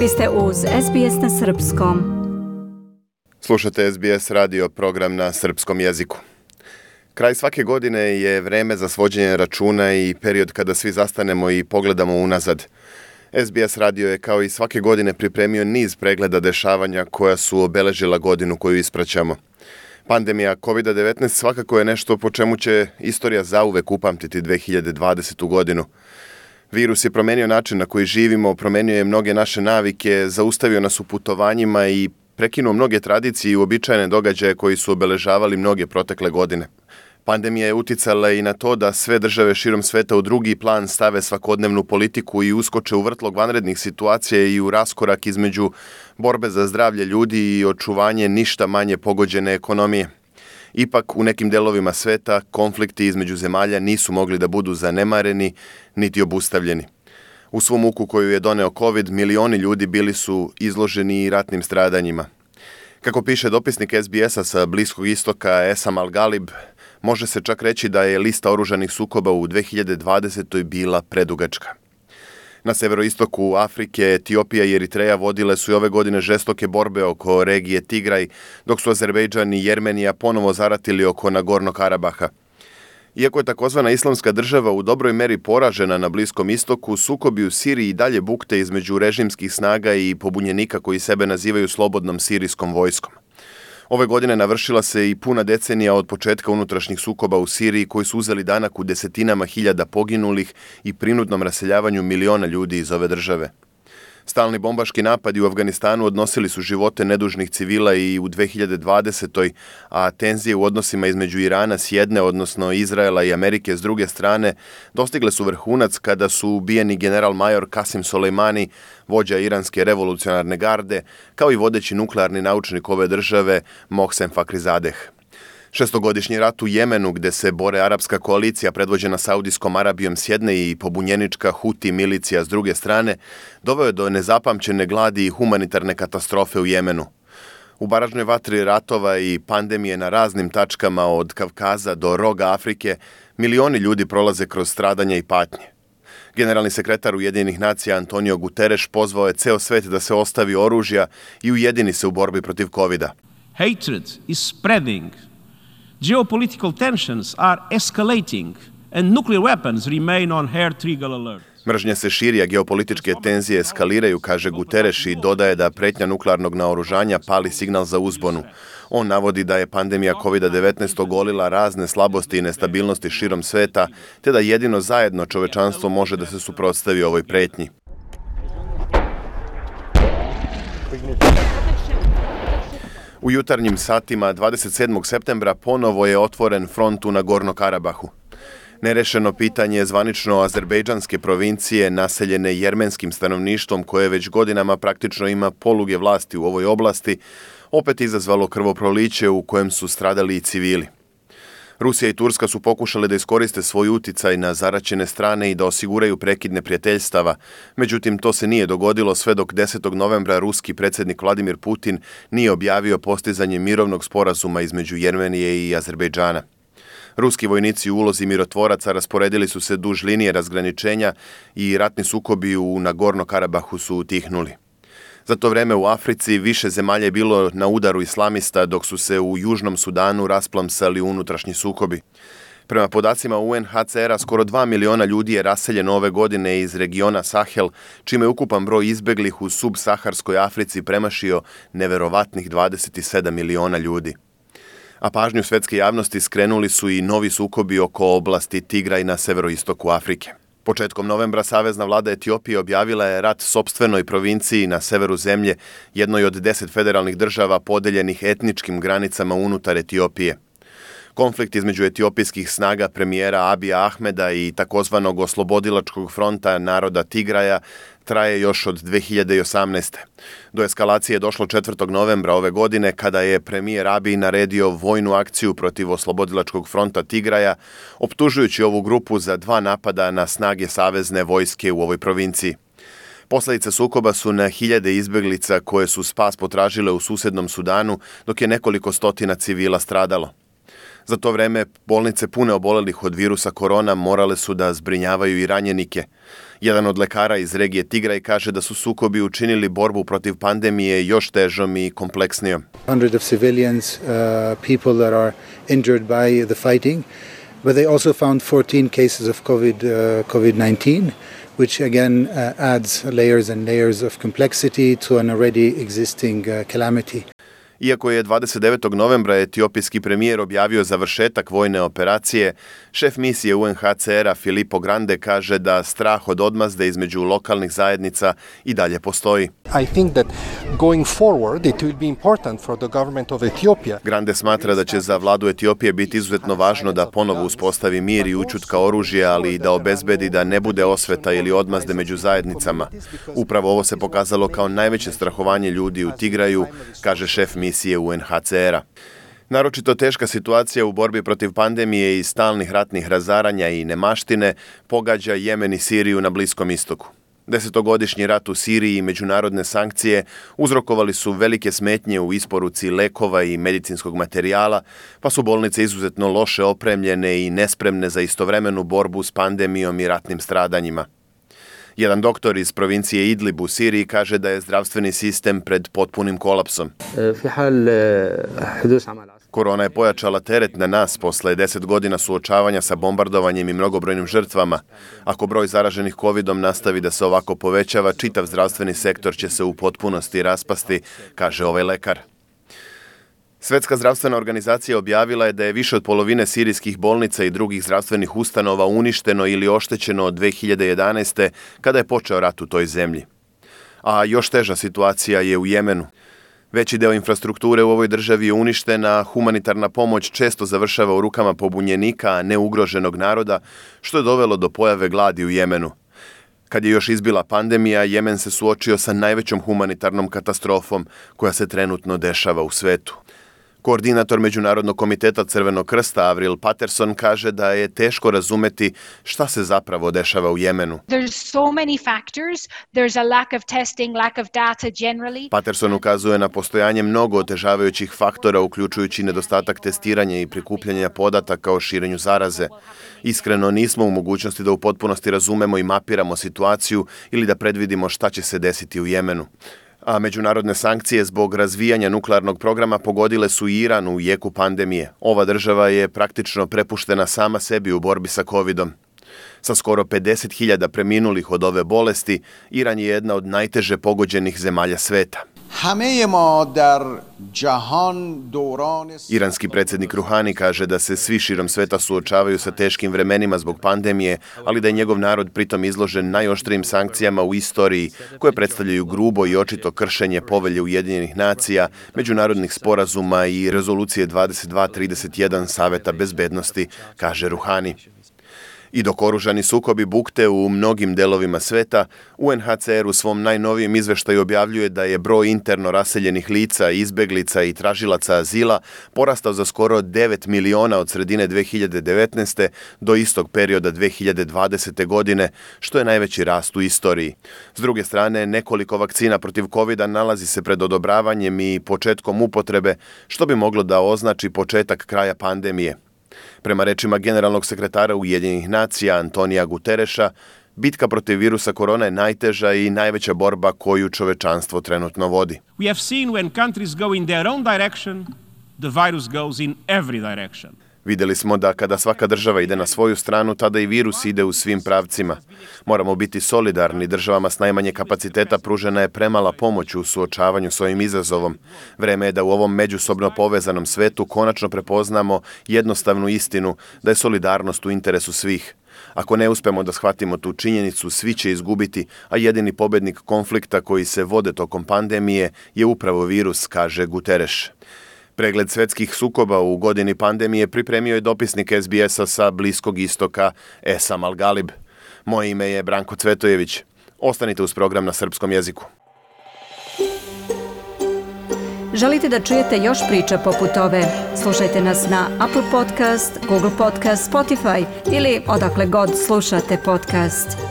Vi ste uz SBS na srpskom. Slušate SBS radio program na srpskom jeziku. Kraj svake godine je vreme za svođenje računa i period kada svi zastanemo i pogledamo unazad. SBS radio je kao i svake godine pripremio niz pregleda dešavanja koja su obeležila godinu koju ispraćamo. Pandemija COVID-19 svakako je nešto po čemu će istorija zauvek upamtiti 2020. godinu. Virus je promenio način na koji živimo, promenio je mnoge naše navike, zaustavio nas u putovanjima i prekinuo mnoge tradicije i uobičajene događaje koji su obeležavali mnoge protekle godine. Pandemija je uticala i na to da sve države širom sveta u drugi plan stave svakodnevnu politiku i uskoče u vrtlog vanrednih situacija i u raskorak između borbe za zdravlje ljudi i očuvanje ništa manje pogođene ekonomije. Ipak, u nekim delovima sveta konflikti između zemalja nisu mogli da budu zanemareni niti obustavljeni. U svom muku koju je doneo COVID, milioni ljudi bili su izloženi ratnim stradanjima. Kako piše dopisnik SBS-a sa Bliskog istoka Esam Al-Galib, može se čak reći da je lista oružanih sukoba u 2020. bila predugačka. Na severoistoku Afrike, Etiopija i Eritreja vodile su i ove godine žestoke borbe oko regije Tigraj, dok su Azerbejdžan i Jermenija ponovo zaratili oko Nagornog Karabaha. Iako je takozvana islamska država u dobroj meri poražena na Bliskom istoku, sukobi u Siriji i dalje bukte između režimskih snaga i pobunjenika koji sebe nazivaju slobodnom sirijskom vojskom. Ove godine navršila se i puna decenija od početka unutrašnjih sukoba u Siriji koji su uzeli danak u desetinama hiljada poginulih i prinudnom raseljavanju miliona ljudi iz ove države. Stalni bombaški napadi u Afganistanu odnosili su živote nedužnih civila i u 2020. A tenzije u odnosima između Irana s jedne, odnosno Izraela i Amerike s druge strane, dostigle su vrhunac kada su ubijeni general major Kasim Soleimani, vođa iranske revolucionarne garde, kao i vodeći nuklearni naučnik ove države Mohsen Fakhrizadeh. Šestogodišnji rat u Jemenu, gde se bore arapska koalicija predvođena Saudijskom Arabijom s jedne i pobunjenička Huti milicija s druge strane, doveo je do nezapamćene gladi i humanitarne katastrofe u Jemenu. U baražnoj vatri ratova i pandemije na raznim tačkama od Kavkaza do roga Afrike, milioni ljudi prolaze kroz stradanja i patnje. Generalni sekretar Ujedinjenih nacija Antonio Guterres pozvao je ceo svet da se ostavi oružja i ujedini se u borbi protiv COVID-a. Hatred is spreading. Geopolitical tensions are escalating and nuclear weapons remain on hair trigger alert. Mržnja se širi, a geopolitičke tenzije eskaliraju, kaže Guterres i dodaje da pretnja nuklearnog naoružanja pali signal za uzbunu. On navodi da je pandemija COVID-19 ogolila razne slabosti i nestabilnosti širom sveta, te da jedino zajedno čovečanstvo može da se suprotstavi ovoj pretnji. U jutarnjim satima 27. septembra ponovo je otvoren front u Nagorno Karabahu. Nerešeno pitanje zvanično azerbejdžanske provincije naseljene jermenskim stanovništvom koje već godinama praktično ima poluge vlasti u ovoj oblasti, opet izazvalo krvoproliće u kojem su stradali i civili. Rusija i Turska su pokušale da iskoriste svoj uticaj na zaraćene strane i da osiguraju prekid neprijateljstava, međutim to se nije dogodilo sve dok 10. novembra ruski predsjednik Vladimir Putin nije objavio postizanje mirovnog sporazuma između Jermenije i Azerbejdžana. Ruski vojnici u ulozi mirotvoraca rasporedili su se duž linije razgraničenja i ratni sukobi u Nagorno Karabahu su utihnuli. Za to vreme u Africi više zemalja je bilo na udaru islamista, dok su se u Južnom Sudanu rasplamsali unutrašnji sukobi. Prema podacima UNHCR-a, skoro 2 miliona ljudi je raseljeno ove godine iz regiona Sahel, čime je ukupan broj izbeglih u subsaharskoj Africi premašio neverovatnih 27 miliona ljudi. A pažnju svetske javnosti skrenuli su i novi sukobi oko oblasti Tigraj na severoistoku Afrike. Početkom novembra Savezna vlada Etiopije objavila je rat sopstvenoj provinciji na severu zemlje, jednoj od 10 federalnih država podeljenih etničkim granicama unutar Etiopije. Konflikt između etiopijskih snaga premijera Abija Ahmeda i takozvanog oslobodilačkog fronta naroda Tigraja traje još od 2018. Do eskalacije je došlo 4. novembra ove godine kada je premijer Abij naredio vojnu akciju protiv oslobodilačkog fronta Tigraja, optužujući ovu grupu za 2 napada na snage savezne vojske u ovoj provinciji. Posledice sukoba su na hiljade izbeglica koje su spas potražile u susednom Sudanu, dok je nekoliko stotina civila stradalo. Za to vreme bolnice pune obolelih od virusa korona morale su da zbrinjavaju i ranjenike. Jedan od lekara iz regije Tigraj kaže da su sukobi učinili borbu protiv pandemije još težom i kompleksnijom. Hundreds of civilians, people that are injured by the fighting, but they also found 14 cases of COVID-19, which again adds layers and layers of complexity to an already existing calamity. Iako je 29. novembra etiopijski premijer objavio završetak vojne operacije, šef misije UNHCR-a Filippo Grande kaže da strah od odmazde između lokalnih zajednica i dalje postoji. I think that going forward it will be important for the government of Ethiopia. Grande smatra da će za vladu Etiopije biti izuzetno važno da ponovo uspostavi mir i ućutka oružja, ali i da obezbedi da ne bude osveta ili odmazde među zajednicama. Upravo ovo se pokazalo kao najveće strahovanje ljudi u Tigraju, kaže šef misije UNHCR-a. Naročito teška situacija u borbi protiv pandemije i stalnih ratnih razaranja i nemaštine pogađa Jemen i Siriju na Bliskom istoku. 10-godišnji rat u Siriji i međunarodne sankcije uzrokovali su velike smetnje u isporuci lekova i medicinskog materijala, pa su bolnice izuzetno loše opremljene i nespremne za istovremenu borbu s pandemijom i ratnim stradanjima. Jedan doktor iz provincije Idlib u Siriji kaže da je zdravstveni sistem pred potpunim kolapsom. Korona je pojačala teret na nas posle 10 godina suočavanja sa bombardovanjem i mnogobrojnim žrtvama. Ako broj zaraženih covidom nastavi da se ovako povećava, čitav zdravstveni sektor će se u potpunosti raspasti, kaže ovaj lekar. Svetska zdravstvena organizacija objavila je da je više od polovine sirijskih bolnica i drugih zdravstvenih ustanova uništeno ili oštećeno od 2011. kada je počeo rat u toj zemlji. A još teža situacija je u Jemenu. Veći deo infrastrukture u ovoj državi je uništena, humanitarna pomoć često završava u rukama pobunjenika, a ne ugroženog naroda, što je dovelo do pojave gladi u Jemenu. Kad je još izbila pandemija, Jemen se suočio sa najvećom humanitarnom katastrofom koja se trenutno dešava u svetu. Koordinator Međunarodnog komiteta Crvenog krsta Avril Patterson kaže da je teško razumeti šta se zapravo dešava u Jemenu. Patterson ukazuje na postojanje mnogo otežavajućih faktora, uključujući nedostatak testiranja i prikupljanja podataka o širenju zaraze. Iskreno, nismo u mogućnosti da u potpunosti razumemo i mapiramo situaciju ili da predvidimo šta će se desiti u Jemenu. A međunarodne sankcije zbog razvijanja nuklearnog programa pogodile su i Iran u jeku pandemije. Ova država je praktično prepuštena sama sebi u borbi sa covidom. Sa skoro 50.000 preminulih od ove bolesti, Iran je jedna od najteže pogođenih zemalja sveta. Iranski predsjednik Ruhani kaže da se svi širom sveta suočavaju sa teškim vremenima zbog pandemije, ali da je njegov narod pritom izložen najoštrijim sankcijama u istoriji, koje predstavljaju grubo i očito kršenje Povelje Ujedinjenih nacija, međunarodnih sporazuma i rezolucije 2231 Saveta bezbednosti, kaže Ruhani. I dok oružani sukobi bukte u mnogim delovima sveta, UNHCR u svom najnovijem izveštaju objavljuje da je broj interno raseljenih lica, izbeglica i tražilaca azila porastao za skoro 9 miliona od sredine 2019. do istog perioda 2020. godine, što je najveći rast u istoriji. S druge strane, nekoliko vakcina protiv covida nalazi se pred odobravanjem i početkom upotrebe, što bi moglo da označi početak kraja pandemije. Prema rečima generalnog sekretara Ujedinjenih nacija Antonija Gutereša, bitka protiv virusa korona je najteža i najveća borba koju čovečanstvo trenutno vodi. We have seen when countries go in their own direction, the virus goes in every direction. Vidjeli smo da kada svaka država ide na svoju stranu, tada i virus ide u svim pravcima. Moramo biti solidarni, državama s najmanje kapaciteta pružena je premala pomoć u suočavanju s ovim izazovom. Vreme je da u ovom međusobno povezanom svetu konačno prepoznamo jednostavnu istinu da je solidarnost u interesu svih. Ako ne uspemo da shvatimo tu činjenicu, svi će izgubiti, a jedini pobednik konflikta koji se vode tokom pandemije je upravo virus, kaže Guterres. Pregled svetskih sukoba u godini pandemije pripremio je dopisnik SBS-a sa Bliskog istoka Esam Al-Galib. Moje ime je Branko Cvetojević. Ostanite uz program na srpskom jeziku. Želite da čujete još priča poput ove? Slušajte nas na Apple Podcast, Google Podcast, Spotify ili odakle god slušate podcast.